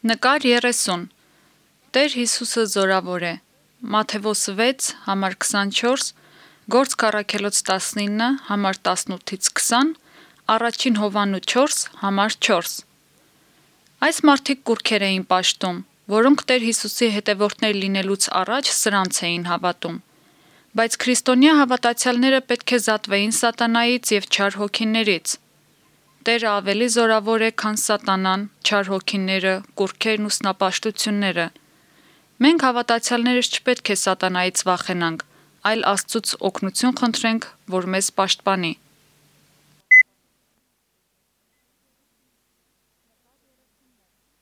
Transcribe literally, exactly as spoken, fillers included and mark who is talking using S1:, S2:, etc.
S1: Նկար երեսուն Տեր Հիսուսը զորավոր է Մատթեոս վեց համար քսանչորս Գործք առաքելոց տասնինը համար տասնութից քսան Առաջին Հովհաննու չորս համար չորս Այս մարդիկ կուռքեր էին պաշտում, որոնք Տեր Հիսուսի հետևորդներ լինելուց առաջ սրանց էին հավատում։ Բայց քրիստոնյա հավատացյալները պետք է զատվեին սատանայից և չար հոգիներից։ Տերը ավելի զորավոր է, քան սատանան, չար հոգիները, կուռքերն ու սնապաշտությունները։ Մենք հավատացյալներս չպետք է սատանայից վախենանք, այլ Աստծուց օգնություն խնդրենք, որ մեզ պաշտպանի։